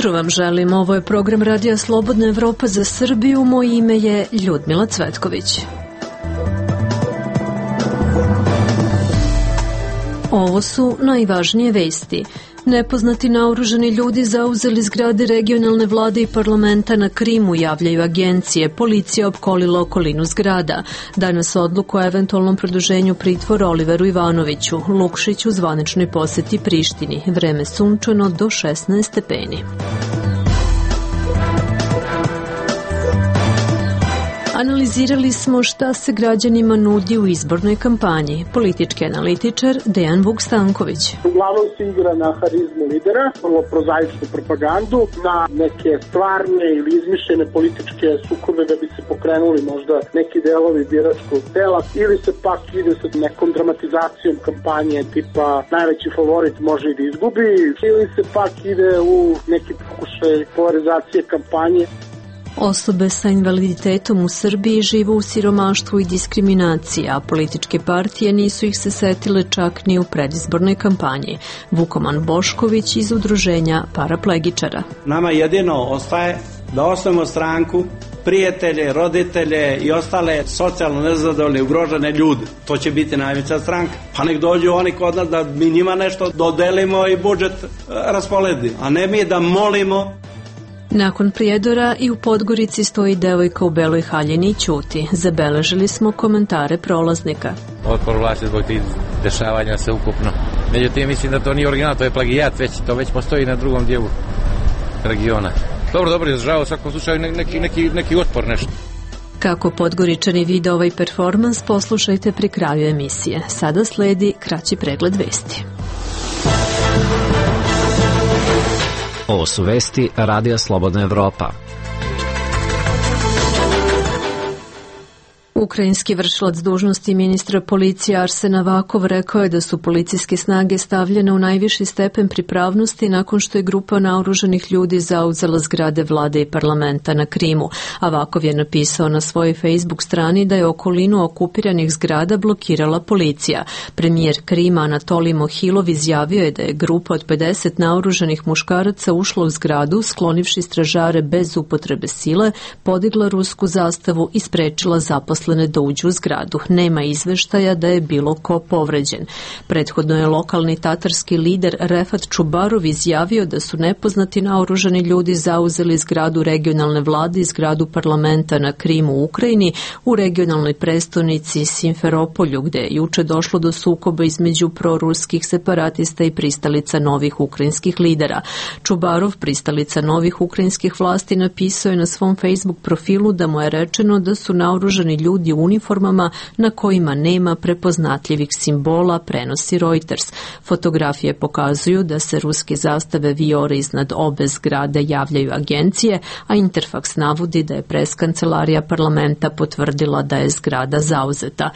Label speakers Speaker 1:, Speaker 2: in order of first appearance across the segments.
Speaker 1: jutro vam želim. Ovo je program Radija Slobodna Evropa za Srbiju. Moje ime je Ljudmila Cvetković. Ovo su najvažnije vesti. Nepoznati naoružani ljudi zauzeli zgrade regionalne vlade i parlamenta na Krimu, javljaju agencije. Policija opkolila okolinu zgrada. Danas odluku o eventualnom produženju pritvora Oliveru Ivanoviću. Lukšić u zvaničnoj poseti Prištini. Vreme sunčano do 16 stepeni. Analizirali smo šta se građanima nudi u izbornoj kampanji. Politički analitičar Dejan Vuk-Stanković.
Speaker 2: Uglavnom se igra na harizmu lidera, vrlo prozaičnu propagandu, na neke stvarne ili izmišljene političke sukobe da bi se pokrenuli možda neki delovi biračkog tela, ili se pak ide sa nekom dramatizacijom kampanje tipa najveći favorit može i da izgubi, ili se pak ide u neki pokušaj polarizacije kampanje.
Speaker 1: Osobe sa invaliditetom u Srbiji žive u siromaštvu i diskriminaciji, a političke partije nisu ih se setile čak ni u predizbornoj kampanji. Vukoman Bošković iz udruženja paraplegičara.
Speaker 3: Nama jedino ostaje da osnovimo stranku, prijatelje, roditelje i ostale socijalno nezadovoljne i ugrožene ljude. To će biti najveća stranka. Pa nek dođu oni kod nas da mi njima nešto dodelimo i budžet rasporedimo, a ne mi da molimo.
Speaker 1: Nakon Prijedora i u Podgorici stoji devojka u beloj haljini i ćuti. Zabeležili smo komentare prolaznika.
Speaker 4: Otpor vlasti zbog tih dešavanja se ukupno. Međutim, mislim da to nije original, to je plagijat, to već postoji na drugom dijelu regiona. Dobro, izražava u svakom slučaju neki otpor nešto.
Speaker 1: Kako Podgoričani vide ovaj performans, poslušajte pri kraju emisije. Sada sledi kraći pregled vesti.
Speaker 5: Ovo su vesti Radija Slobodna Evropa.
Speaker 1: Ukrajinski vršilac dužnosti ministra policije Arsen Avakov rekao je da su policijske snage stavljene u najviši stepen pripravnosti nakon što je grupa naoružanih ljudi zauzela zgrade vlade i parlamenta na Krimu. Avakov je napisao na svojoj Facebook strani da je okolinu okupiranih zgrada blokirala policija. Premijer Krima Anatolij Mohilov izjavio je da je grupa od 50 naoružanih muškaraca ušla u zgradu, sklonivši stražare bez upotrebe sile, podigla rusku zastavu i sprečila zaposlene da uđu u zgradu. Nema izveštaja da je bilo ko povređen. Prethodno je lokalni tatarski lider Refat Čubarov izjavio da su nepoznati naoružani ljudi zauzeli zgradu regionalne vlade i zgradu parlamenta na Krimu u Ukrajini, u regionalnoj prestonici Simferopolju, gde je juče došlo do sukoba između proruskih separatista i pristalica novih ukrajinskih lidera. Čubarov, pristalica novih ukrajinskih vlasti, napisao je na svom Facebook profilu da mu je rečeno da su naoružani ljudi u uniformama na kojima nema prepoznatljivih simbola, prenosi Reuters. Fotografije pokazuju da se ruske zastave vijore iznad obe zgrade, javljaju agencije, a Interfax navodi da je preskancelarija parlamenta potvrdila da je zgrada zauzeta.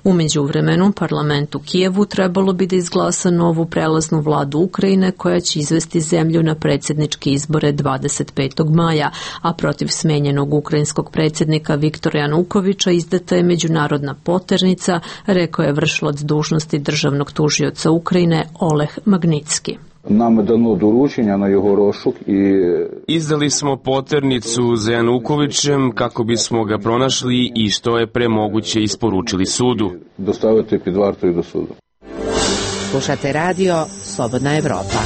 Speaker 1: U međuvremenu, parlament u Kijevu trebalo bi da izglasa novu prelaznu vladu Ukrajine koja će izvesti zemlju na predsjedničke izbore 25. maja, a protiv smenjenog ukrajinskog predsjednika Viktora Janukovića izdata je međunarodna poternica, rekao je vršilac dužnosti državnog tužioca Ukrajine Oleh Magnitski.
Speaker 6: Nam je dano doručenja na jeho rošuk i...
Speaker 7: Izdali smo poternicu za Janukovićem kako bismo ga pronašli i što je pre moguće isporučili sudu.
Speaker 6: Dostaviti pred vartu i do sudu.
Speaker 8: Slušate radio Slobodna Evropa.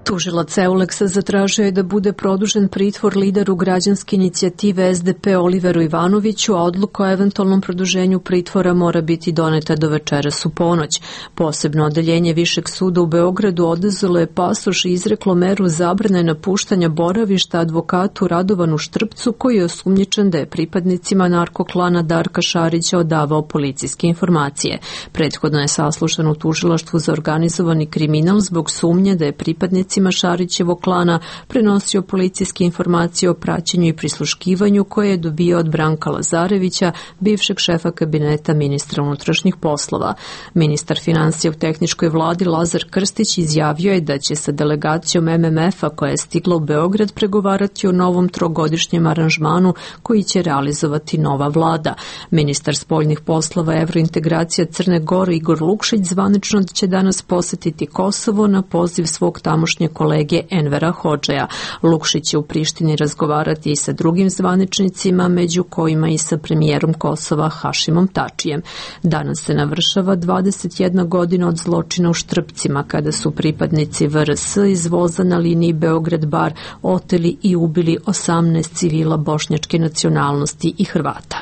Speaker 1: Tužilac Euleksa zatražio je da bude produžen pritvor lideru građanske inicijative SDP Oliveru Ivanoviću, a odluka o eventualnom produženju pritvora mora biti doneta do večeras u ponoć. Posebno odeljenje Višeg suda u Beogradu oduzelo je pasoš i izreklo meru zabrane napuštanja boravišta advokatu Radovanu Štrpcu, koji je osumnjičen da je pripadnicima narkoklana Darka Šarića odavao policijske informacije. Prethodno je saslušan u tužilaštvu za organizovani kriminal zbog sumnje da je pripadnicima Šarićevog klana prenosio policijske informacije o praćenju i prisluškivanju koje je dobio od Branka Lazarevića, bivšeg šefa kabineta ministra unutrašnjih poslova. Ministar finansija u tehničkoj vladi Lazar Krstić izjavio je da će sa delegacijom MMF-a koja je stigla u Beograd pregovarati o novom trogodišnjem aranžmanu koji će realizovati nova vlada. Ministar spoljnih poslova evrointegracija Crne Gore Igor Lukšić zvanično će danas posetiti Kosovo na poziv svog tamošnjeg današnje kolege Envera Hodžeja. Lukšić će u Prištini razgovarati i sa drugim zvaničnicima, među kojima i sa premijerom Kosova Hašimom Tačijem. Danas se navršava 21 godina od zločina u Štrpcima, kada su pripadnici VRS iz voza na liniji Beograd-Bar oteli i ubili 18 civila bošnjačke nacionalnosti i Hrvata.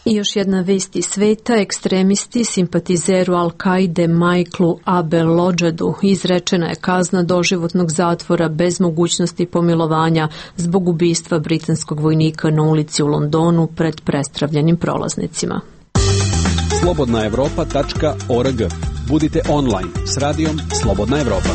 Speaker 1: I još jedna vest iz sveta, ekstremisti, simpatizeru Al-Kaide Michaelu Abel-Lodžadu izrečena je kazna doživotnog zatvora bez mogućnosti pomilovanja zbog ubistva britanskog vojnika na ulici u Londonu pred prestravljenim prolaznicima.
Speaker 9: slobodnaevropa.org. Budite online s radijom Slobodna Evropa.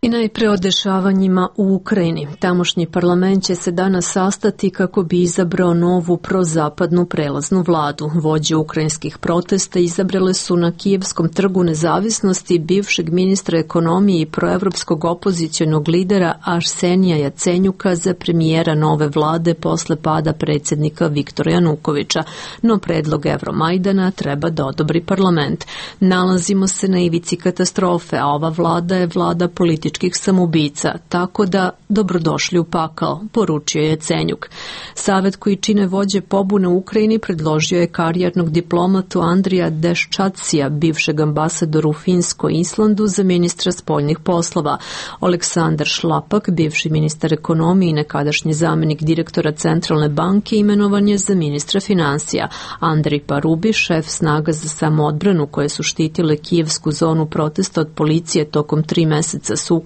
Speaker 1: I najpre o dešavanjima u Ukrajini. Tamošnji parlament će se danas sastati kako bi izabrao novu prozapadnu prelaznu vladu. Vođe ukrajinskih protesta izabrale su na Kijevskom trgu nezavisnosti bivšeg ministra ekonomije i proevropskog opozicionog lidera Arsenija Jacenjuka za premijera nove vlade posle pada predsjednika Viktora Janukovića. No predlog Evromajdana treba da odobri parlament. Nalazimo se na ivici katastrofe, a ova vlada je vlada političkih samoubica, tako da dobrodošli u pakao, poručio je Jacenjuk. Savet koji čine vođe pobune u Ukrajini predložio je karijernog diplomatu Andrija Deščacija, bivšeg ambasadora u Finskoj i Islandu, za ministra spoljnih poslova. Aleksandar Šlapak, bivši ministar ekonomije i nekadašnji zamenik direktora Centralne banke, imenovan je za ministra finansija. Andrej Parubi, šef snaga za samoodbranu koje su štitile kijevsku zonu protesta od policije tokom 3 meseca sukoba,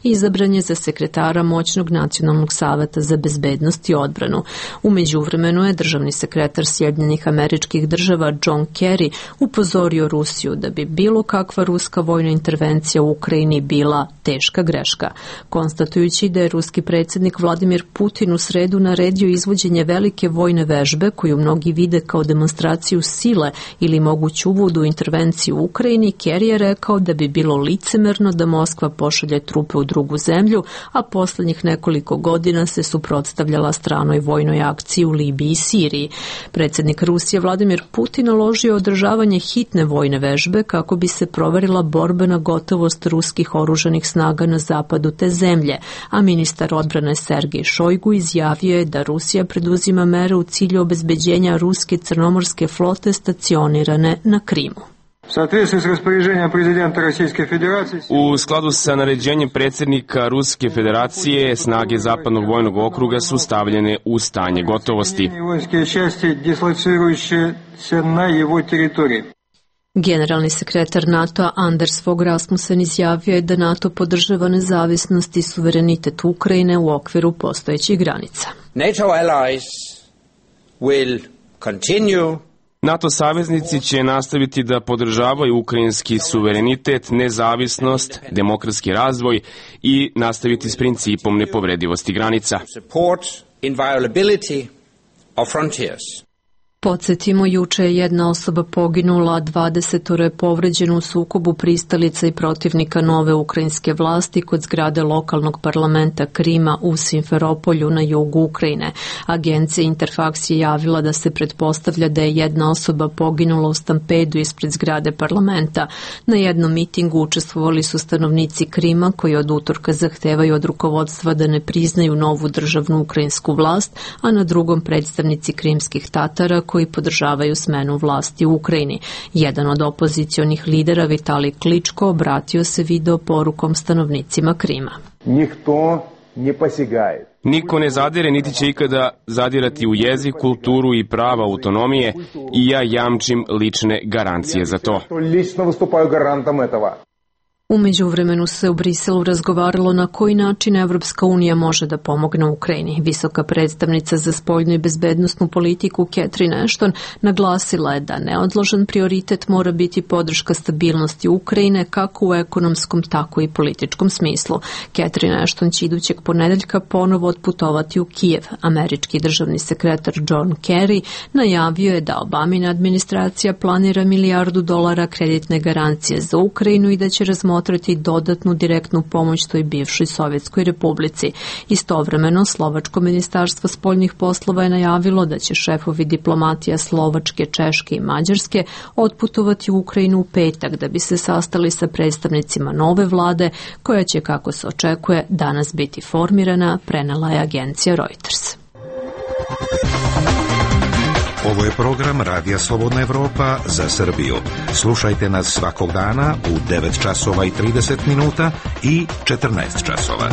Speaker 1: izabran je za sekretara moćnog Nacionalnog saveta za bezbednost i odbranu. U međuvremenu je državni sekretar Sjedinjenih Američkih Država John Kerry upozorio Rusiju da bi bilo kakva ruska vojna intervencija u Ukrajini bila teška greška. Konstatujući da je ruski predsjednik Vladimir Putin u sredu naredio izvođenje velike vojne vežbe koju mnogi vide kao demonstraciju sile ili moguću uvod u intervenciju u Ukrajini, Kerry je rekao da bi bilo licemerno da Moskva pošalje trupe u drugu zemlju, a posljednjih nekoliko godina se suprotstavljala stranoj vojnoj akciji u Libiji i Siriji. Predsjednik Rusije Vladimir Putin naložio održavanje hitne vojne vežbe kako bi se proverila borbena gotovost ruskih oružanih snaga na zapadu te zemlje, a ministar odbrane Sergej Šojgu izjavio je da Rusija preduzima mere u cilju obezbeđenja ruske crnomorske flote stacionirane na Krimu.
Speaker 7: U skladu sa naređenjem predsjednika Ruske federacije, snage Zapadnog vojnog okruga su stavljene u stanje gotovosti.
Speaker 1: Generalni sekretar NATO-a Anders Fogh Rasmussen izjavio je da NATO podržava nezavisnost i suverenitet Ukrajine u okviru postojećih granica.
Speaker 7: NATO saveznici će nastaviti da podržavaju ukrajinski suverenitet, nezavisnost, demokratski razvoj i nastaviti s principom nepovredivosti granica.
Speaker 1: Podsjetimo, juče je jedna osoba poginula, 20 je povređeno u sukobu pristalica i protivnika nove ukrajinske vlasti kod zgrade lokalnog parlamenta Krima u Simferopolju na jugu Ukrajine. Agencija Interfax je javila da se pretpostavlja da je jedna osoba poginula u stampedu ispred zgrade parlamenta. Na jednom mitingu učestvovali su stanovnici Krima koji od utorka zahtevaju od rukovodstva da ne priznaju novu državnu ukrajinsku vlast, a na drugom predstavnici krimskih Tatara koji podržavaju smenu vlasti u Ukrajini. Jedan od opozicionih lidera, Vitalij Kličko, obratio se video porukom stanovnicima Krima.
Speaker 7: Niko ne zadire, niti će ikada zadirati u jezik, kulturu i prava autonomije i ja jamčim lične garancije za to.
Speaker 1: U međuvremenu se u Briselu razgovaralo na koji način Evropska unija može da pomogne Ukrajini. Visoka predstavnica za spoljnu i bezbednosnu politiku Catherine Ashton naglasila je da neodložan prioritet mora biti podrška stabilnosti Ukrajine kako u ekonomskom, tako i političkom smislu. Catherine Ashton će idućeg ponedeljka ponovo otputovati u Kijev. Američki državni sekretar John Kerry najavio je da Obamina administracija planira $1 milijardu kreditne garancije za Ukrajinu i da će razmotriti razmotriti dodatnu direktnu pomoć toj bivšoj Sovjetskoj republici. Istovremeno, Slovačko ministarstvo spoljnih poslova je najavilo da će šefovi diplomatija Slovačke, Češke i Mađarske otputovati u Ukrajinu u petak da bi se sastali sa predstavnicima nove vlade, koja će, kako se očekuje, danas biti formirana, prenela je agencija Reuters.
Speaker 10: Ovo je program Radija Slobodna Evropa za Srbiju. Slušajte nas svakog dana u 9 časova i 30 minuta i 14 časova.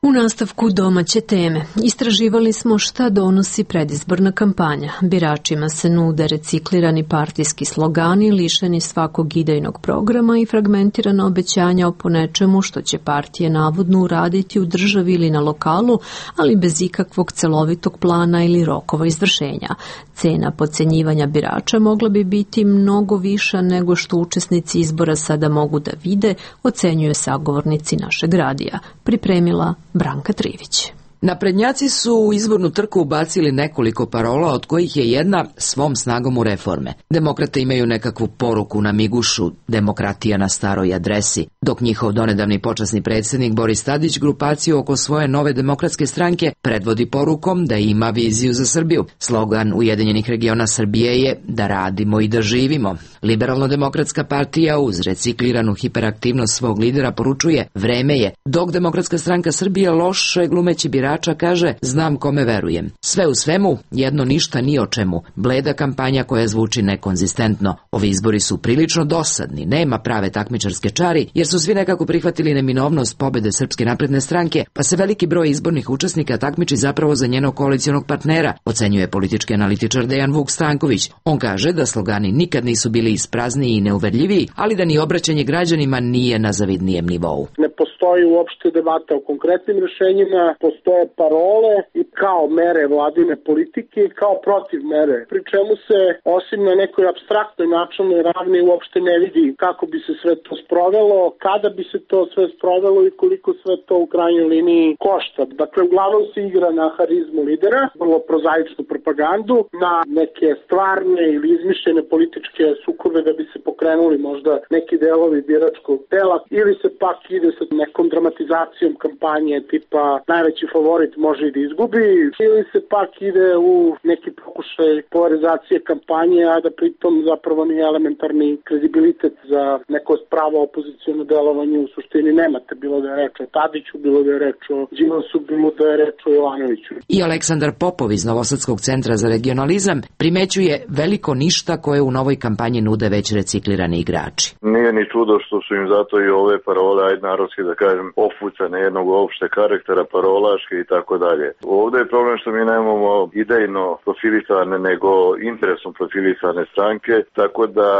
Speaker 1: U nastavku domaće teme istraživali smo šta donosi predizborna kampanja. Biračima se nude reciklirani partijski slogani, lišeni svakog idejnog programa i fragmentirana obećanja o ponečemu što će partije navodno uraditi u državi ili na lokalu, ali bez ikakvog celovitog plana ili rokova izvršenja. Cena podcenjivanja birača mogla bi biti mnogo viša nego što učesnici izbora sada mogu da vide, ocenjuje sagovornici našeg radija. Pripremila Branka Trivić.
Speaker 11: Naprednjaci su u izbornu trku ubacili nekoliko parola, od kojih je jedna svom snagom u reforme. Demokrate imaju nekakvu poruku na migušu, demokratija na staroj adresi, dok njihov donedavni počasni predsjednik Boris Tadić grupaciju oko svoje nove demokratske stranke predvodi porukom da ima viziju za Srbiju. Slogan Ujedinjenih regiona Srbije je da radimo i da živimo. Liberalno-demokratska partija uz recikliranu hiperaktivnost svog lidera poručuje vreme je, dok Demokratska stranka Srbije loše glumeći birača kaže znam kome verujem. Sve u svemu, jedno ništa ni o čemu, bleda kampanja koja zvuči nekonzistentno. Ovi izbori su prilično dosadni, nema prave takmičarske čari, jer su svi nekako prihvatili neminovnost pobede Srpske napredne stranke, pa se veliki broj izbornih učesnika takmiči zapravo za njenog koalicionog partnera, ocenjuje politički analitičar Dejan Vuk Stanković. On kaže da slogani nikad nisu bili isprazniji i neuverljiviji, ali da ni obraćanje građanima nije na zavidnijem nivou.
Speaker 2: Ne postoji uopšte debata o konkretnim rešenjima, postoje parole i kao mere vladine politike i kao protiv mere, pri čemu se osim na nekoj apstraktnoj načelnoj ravni uopšte ne vidi kako bi se sve to sprovelo, kada bi se to sve sprovelo i koliko sve to u krajnjoj liniji košta. Dakle, uglavnom se igra na harizmu lidera, vrlo prozaičnu propagandu, na neke stvarne ili izmišljene političke sukobe da bi se pokrenuli možda neki delovi biračkog tela, ili se pak ide sa nekom dramatizacijom kampanje tipa najveći favorit može i da izgubi, ili se pak ide u neki pokušaj polarizacije kampanje, a da pritom zapravo nije elementarni kredibilitet za neko pravo opoziciono delovanje u suštini nemate, bilo da je reč o Tadiću, bilo da je reč o Đilasu, bilo da je reč o Jovanoviću.
Speaker 11: I Aleksandar Popov iz Novosadskog centra za regionalizam primećuje veliko ništa koje u novoj kampanji nude već reciklirani igrači.
Speaker 12: Nije ni čudo što su im zato i ove parole, ajde narodski da kažem, ofucane jednog opšte karaktera, parolaške i tako dalje. Ovdje je problem što mi nemamo idejno profilisane, nego interesom profilisane stranke, tako da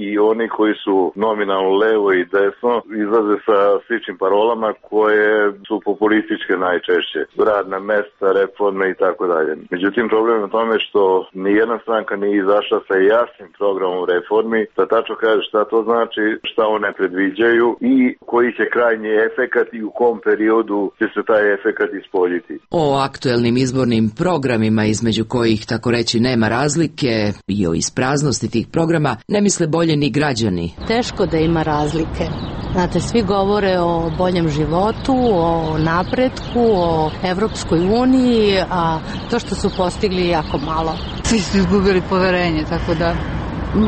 Speaker 12: i oni koji su nominalno levo i desno izlaze sa sličnim parolama koje su populističke najčešće. Radna mesta, reforme i tako dalje. Međutim, problem je u tome što nijedna stranka nije izašla sa jasnim programom reformi, da tačno kaže šta to znači, šta one predviđaju i koji će krajnji efekat i u kom periodu će se taj efekat ispoljiti.
Speaker 11: O aktuelnim izbornim programima, između kojih tako reći nema razlike, i o ispraznosti tih programa ne misle bolje ni građani.
Speaker 13: Teško da ima razlike. Znate, svi govore o boljem životu, o napretku, o Evropskoj uniji, a to što su postigli jako malo.
Speaker 14: Svi su izgubili poverenje, tako da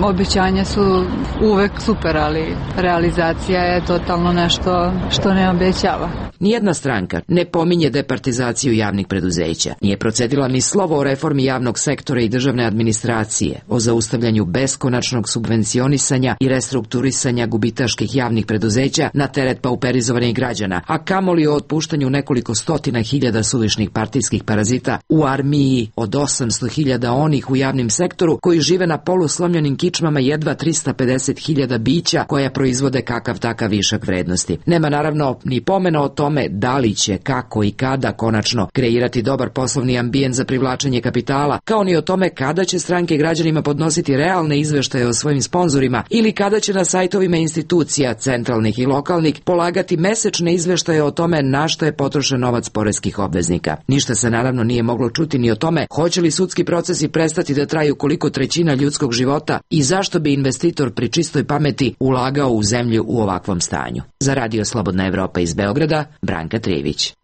Speaker 14: obećanja su uvek super, ali realizacija je totalno nešto što ne obećava.
Speaker 11: Nijedna stranka ne pominje departizaciju javnih preduzeća. Nije procedila ni slovo o reformi javnog sektora i državne administracije, o zaustavljanju beskonačnog subvencionisanja i restrukturisanja gubitaških javnih preduzeća na teret pauperizovanih građana, a kamoli o otpuštanju nekoliko stotina hiljada suvišnih partijskih parazita u armiji od 800.000 onih u javnim sektoru koji žive na poluslomljenim beogradskim kičmama jedva 350.000 bića koja proizvode kakav takav višak vrednosti. Nema naravno ni pomena o tome da li će, kako i kada konačno kreirati dobar poslovni ambijent za privlačenje kapitala, kao ni o tome kada će stranke građanima podnositi realne izveštaje o svojim sponzorima ili kada će na sajtovima institucija, centralnih i lokalnih, polagati mesečne izveštaje o tome na što je potrošen novac poreskih obveznika. Ništa se naravno nije moglo čuti ni o tome hoće li sudski procesi prestati da traju koliko trećina ljudskog života i zašto bi investitor pri čistoj pameti ulagao u zemlju u ovakvom stanju. Za Radio Slobodna Evropa iz Beograda, Branka Trijević.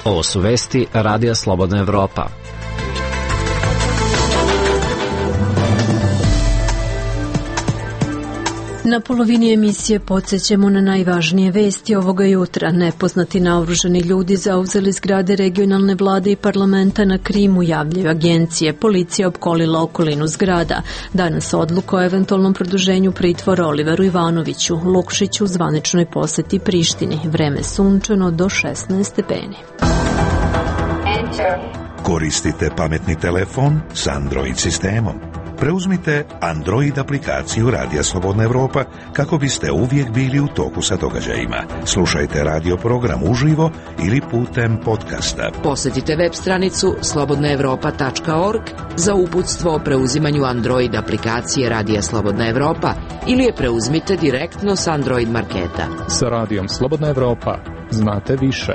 Speaker 5: Ovo su vesti Radija Slobodna Evropa.
Speaker 1: Na polovini emisije podsjećamo na najvažnije vesti ovoga jutra. Nepoznati naoružani ljudi zauzeli zgrade regionalne vlade i parlamenta na Krimu, javljaju agencije. Policija opkolila okolinu zgrada. Danas odluka o eventualnom produženju pritvora Oliveru Ivanoviću. Lukšiću u zvaničnoj poseti Prištini. Vreme sunčano do 16 stepeni.
Speaker 10: Koristite pametni telefon s Android sistemom. Preuzmite Android aplikaciju Radija Slobodna Evropa kako biste uvijek bili u toku sa događajima. Slušajte radio program uživo ili putem podcasta.
Speaker 11: Posjetite web stranicu slobodnaevropa.org za uputstvo o preuzimanju Android aplikacije Radija Slobodna Evropa ili je preuzmite direktno s Android marketa.
Speaker 15: Sa Radijom Slobodna Evropa znate više.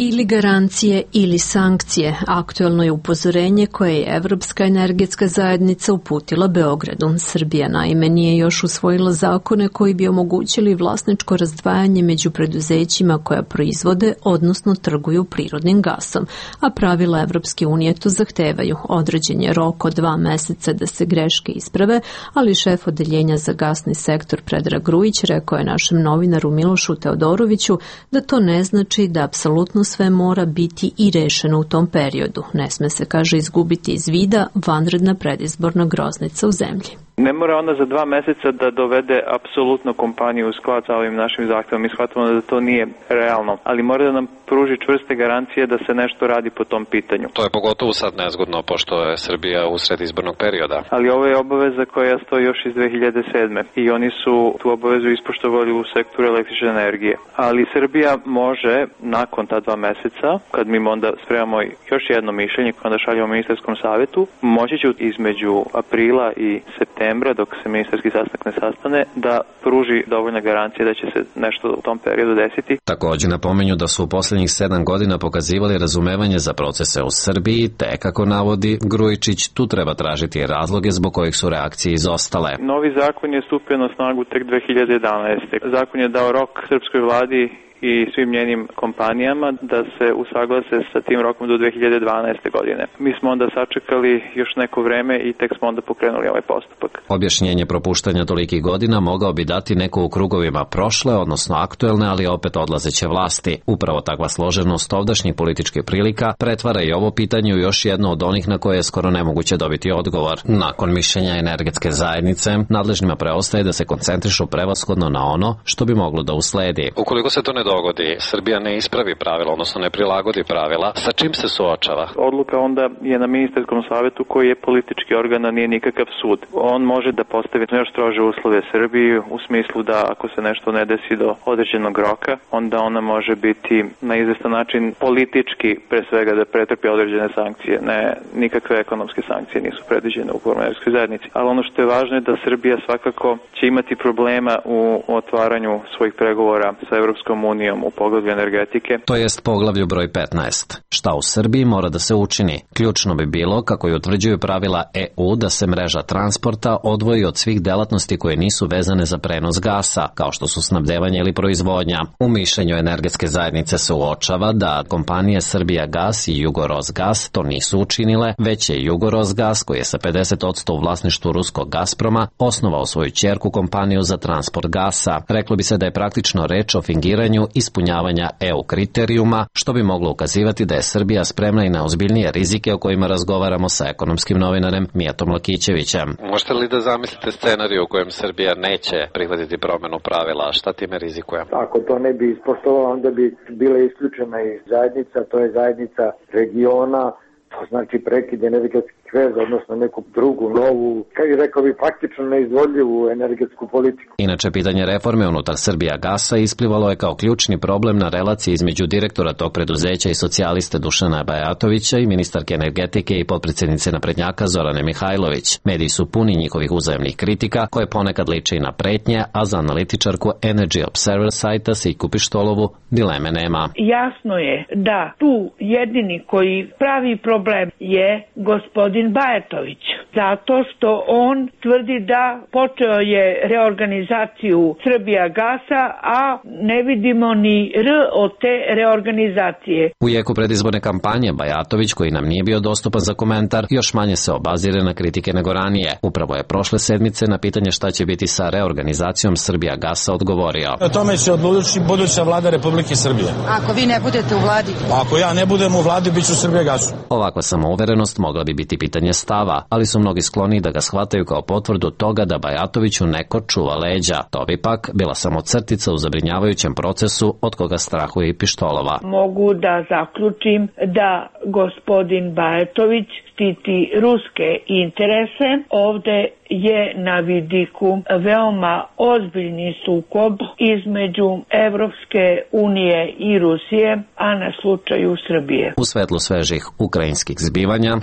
Speaker 1: Ili garancije ili sankcije. Aktuelno je upozorenje koje je Evropska energetska zajednica uputila Beogradu. Srbija naime nije još usvojila zakone koji bi omogućili vlasničko razdvajanje među preduzećima koja proizvode, odnosno trguju prirodnim gasom, a pravila Evropske unije to zahtevaju. Određen je rok od 2 meseca da se greške isprave, ali šef odeljenja za gasni sektor Predrag Grujić rekao je našem novinaru Milošu Teodoroviću da to ne znači da apsolutno sve mora biti i rešeno u tom periodu. Ne sme se, kaže, izgubiti iz vida vanredna predizborna groznica u zemlji.
Speaker 16: Ne mora ona za 2 meseca da dovede apsolutno kompaniju u sklad sa ovim našim zahtevom. Mi shvatamo da to nije realno, ali mora da nam pruži čvrste garancije da se nešto radi po tom pitanju.
Speaker 17: To je pogotovo sad nezgodno, pošto je Srbija usred izbornog perioda.
Speaker 16: Ali ovo je obaveza koja stoji još iz 2007. I oni su tu obavezu ispoštovali u sektoru električne energije. Ali Srbija može, nakon ta 2 meseca, kad mi onda spremamo još jedno mišljenje koje onda šaljamo ministarskom savjetu, moći će između aprila i septembra, dok se ministarski sastanak ne sastane, da pruži dovoljne garancije da će se nešto u tom periodu desiti.
Speaker 5: Također napominju da su u posljednjih 7 godina pokazivali razumevanje za procese u Srbiji, te, kako navodi Grujičić, tu treba tražiti razloge zbog kojih su reakcije izostale.
Speaker 16: Novi zakon je stupio na snagu tek 2011. Zakon je dao rok srpskoj vladi i svim njenim kompanijama da se usaglase sa tim rokom do 2012. godine. Mi smo onda sačekali još neko vreme i tek smo onda pokrenuli ovaj postupak.
Speaker 5: Objašnjenje propuštanja tolikih godina mogao bi dati neko u krugovima prošle, odnosno aktuelne, ali opet odlazeće vlasti. Upravo takva složenost ovdašnjih političkih prilika pretvara i ovo pitanje u još jedno od onih na koje je skoro nemoguće dobiti odgovor. Nakon mišljenja energetske zajednice, nadležnima preostaje da se koncentrišu prevashodno na ono što bi moglo da usledi.
Speaker 17: Ukoliko se to ne dogodi, Srbija ne ispravi pravila, odnosno ne prilagodi pravila, sa čim se suočava?
Speaker 16: Odluka onda je na ministarskom savjetu koji je politički organ, a nije nikakav sud. On može da postavi još strože uslove Srbiji u smislu da ako se nešto ne desi do određenog roka, onda ona može biti na izvestan način politički, pre svega, da pretrpi određene sankcije. Ne, nikakve ekonomske sankcije nisu predviđene u energetskoj zajednici. Ali ono što je važno je da Srbija svakako će imati problema u otvaranju svojih pregovora sa Evropskom unijom u poglavlju energetike.
Speaker 5: To jest poglavlju broj 15. Šta u Srbiji mora da se učini? Ključno bi bilo, kako i utvrđuju pravila EU, da se mreža transporta odvoji od svih delatnosti koje nisu vezane za prenos gasa, kao što su snabdevanje ili proizvodnja. U mišljenju energetske zajednice se uočava da kompanije Srbijagas i Jugorosgas to nisu učinile, već je Jugorosgas, koji je sa 50% u vlasništvu ruskog Gazproma, osnovao svoju ćerku kompaniju za transport gasa. Reklo bi se da je praktično reč o fingiranju ispunjavanja EU kriterijuma, što bi moglo ukazivati da je Srbija spremna i na ozbiljnije rizike o kojima razgovaramo sa ekonomskim novinarem Mijatom Lakićevićem.
Speaker 17: Možete li da zamislite scenariju u kojem Srbija neće prihvatiti promenu pravila? Šta time rizikuje?
Speaker 18: Ako to ne bi ispoštovala, onda bi bila isključena iz zajednica, to je zajednica regiona, to znači prekid energetskih veza, odnosno neku drugu, novu, kako rekao bi, faktično neizvodljivu energetsku politiku.
Speaker 5: Inače, pitanje reforme unutar Srbijagasa isplivalo je kao ključni problem na relaciji između direktora tog preduzeća i socijaliste Dušana Bajatovića i ministarke energetike i potpredsjednice naprednjaka Zorane Mihajlović. Mediji su puni njihovih uzajemnih kritika, koje ponekad liče i na pretnje, a za analitičarku Energy Observer sajta Sejku Pištolovu dileme nema.
Speaker 19: Jasno je da tu jedini koji pravi problem je gospodin Bajatović, zato što on tvrdi da počeo je reorganizaciju Srbijagasa, a ne vidimo ni R od te reorganizacije.
Speaker 5: U jeku predizborne kampanje Bajatović, koji nam nije bio dostupan za komentar, još manje se obazire na kritike nego ranije. Upravo je prošle sedmice na pitanje šta će biti sa reorganizacijom Srbijagasa odgovorio.
Speaker 20: O tome će odlučiti buduća vlada Republike Srbije.
Speaker 21: Ako vi ne budete u vladi?
Speaker 20: Ako ja ne budem u vladi, bit ću Srbijagasu.
Speaker 5: Ovakva samouverenost mogla bi biti pitanje stava, ali su mnogi skloni da ga shvataju kao potvrdu toga da Bajatoviću neko čuva leđa. To bi pak bila samo crtica u zabrinjavajućem procesu od koga strahuje i Pištolova.
Speaker 19: Mogu da zaključim da gospodin Bajatović štiti ruske interese. Ovde je na vidiku veoma ozbiljni sukob između Evropske unije i Rusije, a na slučaju Srbije.
Speaker 5: U svetlu svežih ukrajinskih zbivanja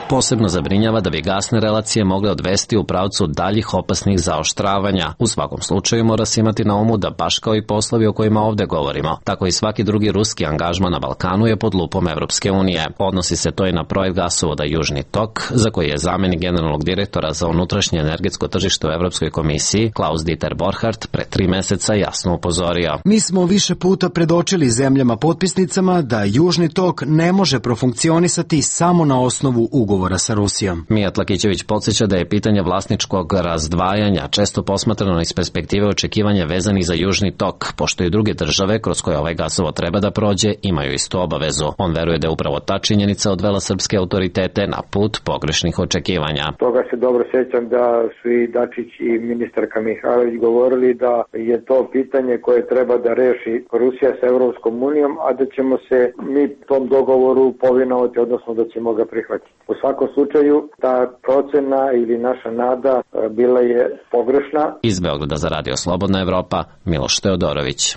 Speaker 5: posebno zabrinjava da bi gasne relacije mogle odvesti u pravcu daljih opasnih zaoštravanja. U svakom slučaju mora se imati na umu da baš kao i poslovi o kojima ovde govorimo, tako i svaki drugi ruski angažman na Balkanu je pod lupom Evropske unije. Odnosi se to i na projekt gasovoda Južni tok, za koji je zamenik generalnog direktora za unutrašnje energetsko tržište u Evropskoj komisiji Klaus Dieter Borchardt pre 3 meseca jasno upozorio.
Speaker 22: Mi smo više puta predočili zemljama potpisnicama da Južni tok ne može profunkcionisati samo na osnovu ugovora sa Rusijom.
Speaker 5: Mijat Lakićević podsjeća da je pitanje vlasničkog razdvajanja često posmatrano iz perspektive očekivanja vezanih za Južni tok, pošto i druge države kroz koje ovaj gasovod treba da prođe imaju istu obavezu. On veruje da je upravo ta činjenica odvela srpske autoritete na put pogrešnih očekivanja.
Speaker 18: Toga se dobro sjećam da su i Dačić i ministarka Mihajlović govorili da je to pitanje koje treba da reši Rusija sa Evropskom unijom, a da ćemo se mi tom dogovoru povinovati, odnosno da ćemo ga prihvatiti. U svakom slučaju, ta procena ili naša nada bila je pogrešna.
Speaker 5: Iz Beograda za Radio Slobodna Evropa, Miloš Teodorović.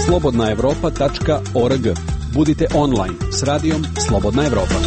Speaker 9: slobodnaevropa.org. Budite online s radijom Slobodna Evropa.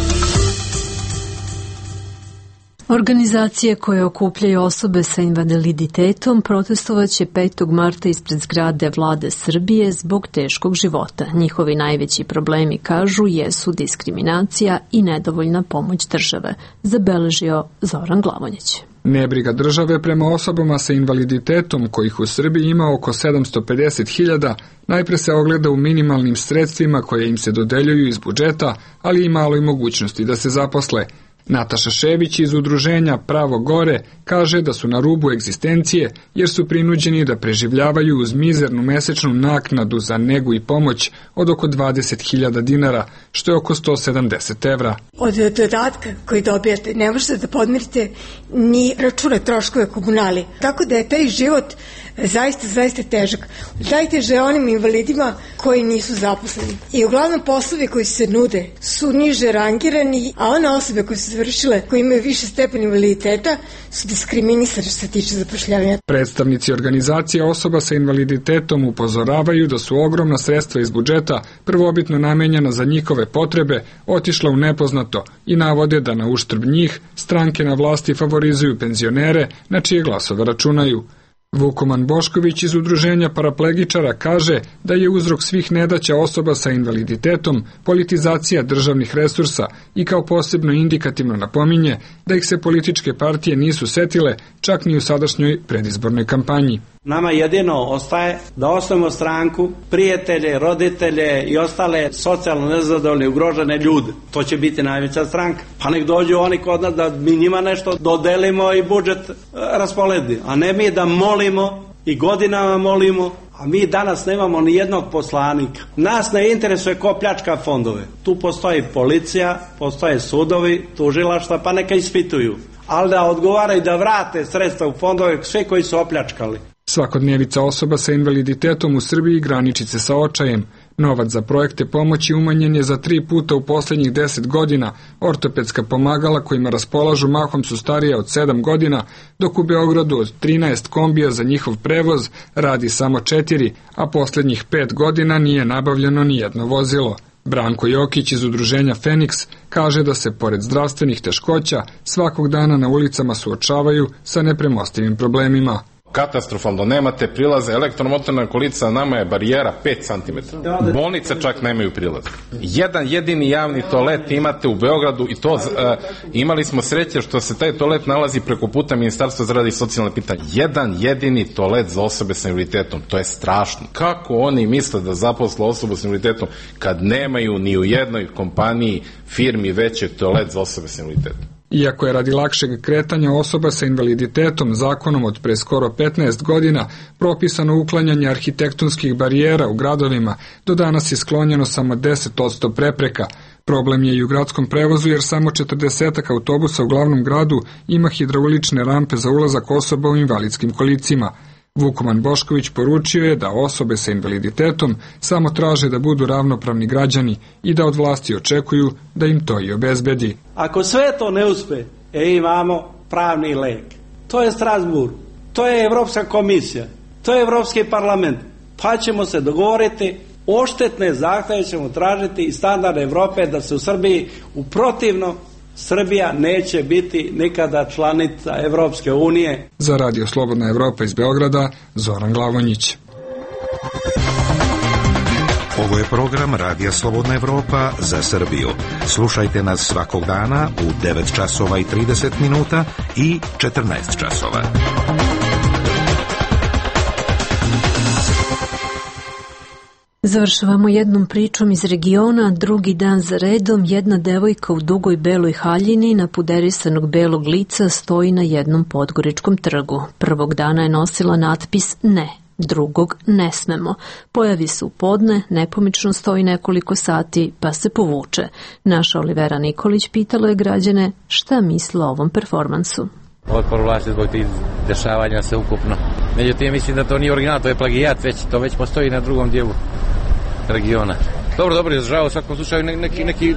Speaker 1: Organizacije koje okupljaju osobe sa invaliditetom protestovaće 5. marta ispred zgrade vlade Srbije zbog teškog života. Njihovi najveći problemi, kažu, jesu diskriminacija i nedovoljna pomoć države, zabeležio Zoran Glavonjić.
Speaker 23: Nebriga države prema osobama sa invaliditetom, kojih u Srbiji ima oko 750.000, najpre se ogleda u minimalnim sredstvima koje im se dodeljuju iz budžeta, ali i maloj mogućnosti da se zaposle. Nataša Šević iz udruženja Pravo gore kaže da su na rubu egzistencije jer su prinuđeni da preživljavaju uz mizernu mesečnu naknadu za negu i pomoć od oko 20.000 dinara, što je oko 170 evra.
Speaker 24: Od dodatka koji dobijate ne možete da podmirite ni račune troškove komunali. Tako da je taj život zaista težak. Najteže onim invalidima koji nisu zaposleni. I uglavnom poslovi koji se nude su niže rangirani, a one osobe koje su završile, koji imaju više stepen invaliditeta, su diskriminisane što se tiče zapošljavanja.
Speaker 23: Predstavnici organizacije osoba sa invaliditetom upozoravaju da su ogromna sredstva iz budžeta, prvobitno namenjena za njihove potrebe, otišla u nepoznato i navode da na uštrb njih stranke na vlasti favorizuju penzionere na čije glasove računaju. Vukoman Bošković iz udruženja paraplegičara kaže da je uzrok svih nedaća osoba sa invaliditetom politizacija državnih resursa i kao posebno indikativno napominje da ih se političke partije nisu setile čak ni u sadašnjoj predizbornoj kampanji.
Speaker 3: Nama jedino ostaje da osnovimo stranku, prijatelje, roditelje i ostale socijalno nezadovoljne, ugrožene ljude. To će biti najveća stranka. Pa nek dođu oni kod nas da mi njima nešto dodelimo i budžet rasporedi. A ne mi da molimo i godinama molimo, a mi danas nemamo ni jednog poslanika. Nas ne interesuje ko pljačka fondove. Tu postoji policija, postoje sudovi, tužilaštva, pa neka ispituju. Ali da odgovaraju da vrate sredstva u fondove sve koji su opljačkali.
Speaker 23: Svakodnevica osoba sa invaliditetom u Srbiji graniči se sa očajem. Novac za projekte pomoći umanjen je za 3 puta u poslednjih 10 godina. Ortopedska pomagala kojima raspolažu mahom su starije od 7 godina, dok u Beogradu od 13 kombija za njihov prevoz radi samo 4, a poslednjih 5 godina nije nabavljeno ni jedno vozilo. Branko Jokić iz udruženja Feniks kaže da se, pored zdravstvenih teškoća, svakog dana na ulicama suočavaju sa nepremostivim problemima.
Speaker 4: Katastrofalno, nemate prilaze, elektromotorna kolica nama je barijera 5 cm. Bolnice čak nemaju prilaz. Jedan jedini javni toalet imate u Beogradu i to imali smo sreće što se taj toalet nalazi preko puta Ministarstva za rad i socijalne pitanje. Jedan jedini toalet za osobe sa invaliditetom, to je strašno. Kako oni misle da zaposle osobu sa invaliditetom kad nemaju ni u jednoj kompaniji, firmi veće toalet za osobe sa invaliditetom?
Speaker 23: Iako je radi lakšeg kretanja osoba sa invaliditetom zakonom od pre skoro 15 godina propisano uklanjanje arhitektonskih barijera u gradovima, do danas je sklonjeno samo 10% prepreka. Problem je i u gradskom prevozu jer samo 40 autobusa u glavnom gradu ima hidraulične rampe za ulazak osoba u invalidskim kolicima. Vukoman Bošković poručio je da osobe sa invaliditetom samo traže da budu ravnopravni građani i da od vlasti očekuju da im to i obezbedi.
Speaker 3: Ako sve to ne uspe, imamo pravni lek. To je Strasbourg, to je Evropska komisija, to je Evropski parlament. Pa ćemo se dogovoriti, odštetne zahteve ćemo tražiti i standard Evrope da se u Srbiji, u protivno, Srbija neće biti nikada članica Evropske unije.
Speaker 23: Za Radio Slobodna Evropa iz Beograda, Zoran Glavonjić.
Speaker 10: Ovo je program Radija Slobodna Evropa za Srbiju. Slušajte nas svakog dana u 9 časova i 30 minuta i 14 časova.
Speaker 1: Završavamo jednom pričom iz regiona. Drugi dan za redom jedna devojka u dugoj beloj haljini napuderisanog belog lica stoji na jednom podgoričkom trgu. Prvog dana je nosila natpis ne, drugog ne smemo. Pojavi se u podne, nepomično stoji nekoliko sati pa se povuče. Naša Olivera Nikolić pitala je građane šta misle o ovom performansu.
Speaker 6: Otpor vlasti zbog tih dešavanja se ukupno. Međutim, mislim da to nije original, to je plagijat, to već postoji na drugom dijelu regiona. Dobro, izražava u svakom slučaju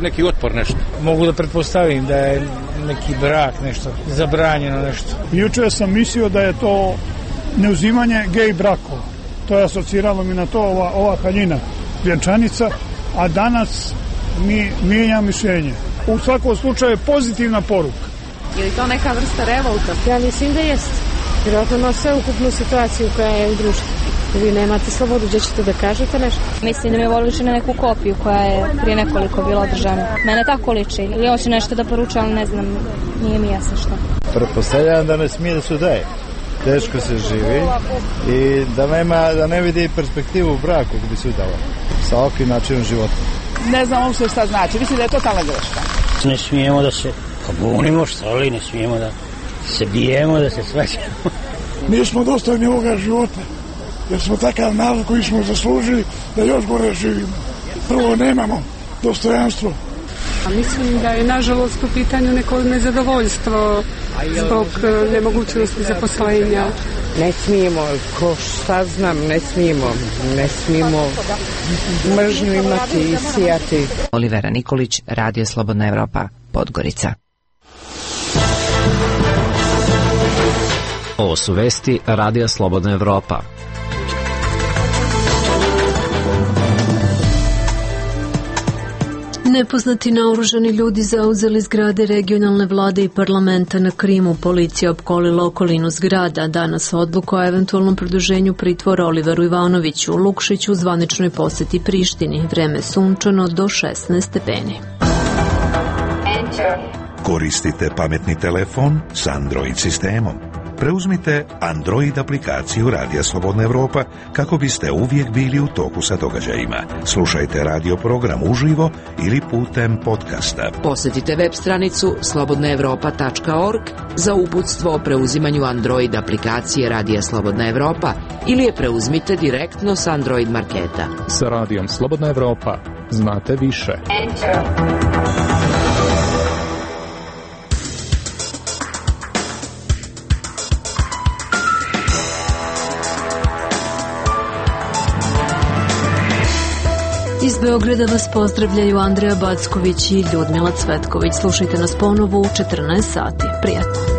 Speaker 6: neki otpor nešto.
Speaker 20: Mogu da pretpostavim da je neki brak nešto, zabranjeno nešto.
Speaker 21: Juče sam mislio da je to neuzimanje gej brakova. To je asociralo mi na to ova haljina, vjenčanica, a danas mi mijenja mišljenje. U svakom slučaju je pozitivna poruka.
Speaker 25: Je li to neka vrsta revolta? Ja mislim da jeste. Vjerojatno na sveukupnu situaciju koja je u društvu. Vi nemate slobodu, gdje ćete da kažete nešto?
Speaker 26: Mislim da mi ovo liči na neku kopiju koja je prije nekoliko bila održana. Mene tako liči. Ili hoće nešto da poruča, ali ne znam, nije mi jasno što.
Speaker 27: Pretpostavljam da ne smije da se udaje. Teško se živi i da ne vidi perspektivu u braku kako bi se udala sa ovakvim načinom života.
Speaker 28: Ne znam uopšte šta znači. Mislim da je totalna greška.
Speaker 29: Ne smijemo da se pobunimo, što li, ne smijemo da se bijemo, da se svađamo.
Speaker 21: Mi smo dostojni ovoga života, jer smo takav narod koji smo zaslužili da još gore živimo. Prvo, nemamo dostojanstvo.
Speaker 30: Mislim da je nažalost u pitanju neko nezadovoljstvo zbog nemogućnosti zaposlenja.
Speaker 25: Ne smijemo, ne smijemo mržnju imati i sijati.
Speaker 8: Olivera Nikolić, Radio Slobodna Evropa, Podgorica.
Speaker 5: Ovo su vesti Radija Slobodna Evropa.
Speaker 1: Nepoznati naoružani ljudi zauzeli zgrade regionalne vlade i parlamenta na Krimu. Policija opkolila okolinu zgrada. Danas odluku o eventualnom produženju pritvora Oliveru Ivanoviću u Lukšiću u zvaničnoj poseti Prištini. Vreme sunčano do 16 stepeni.
Speaker 10: Koristite pametni telefon s Android sistemom. Preuzmite Android aplikaciju Radija Slobodna Evropa kako biste uvijek bili u toku sa događajima. Slušajte radio program uživo ili putem podcasta.
Speaker 2: Posjetite web stranicu slobodnaevropa.org za uputstvo o preuzimanju Android aplikacije Radija Slobodna Evropa ili je preuzmite direktno s Android marketa.
Speaker 7: Sa Radijom Slobodna Evropa znate više.
Speaker 1: Iz Beograda vas pozdravljaju Andreja Backović i Ljudmila Cvetković. Slušajte nas ponovo u 14 sati. Prijatno.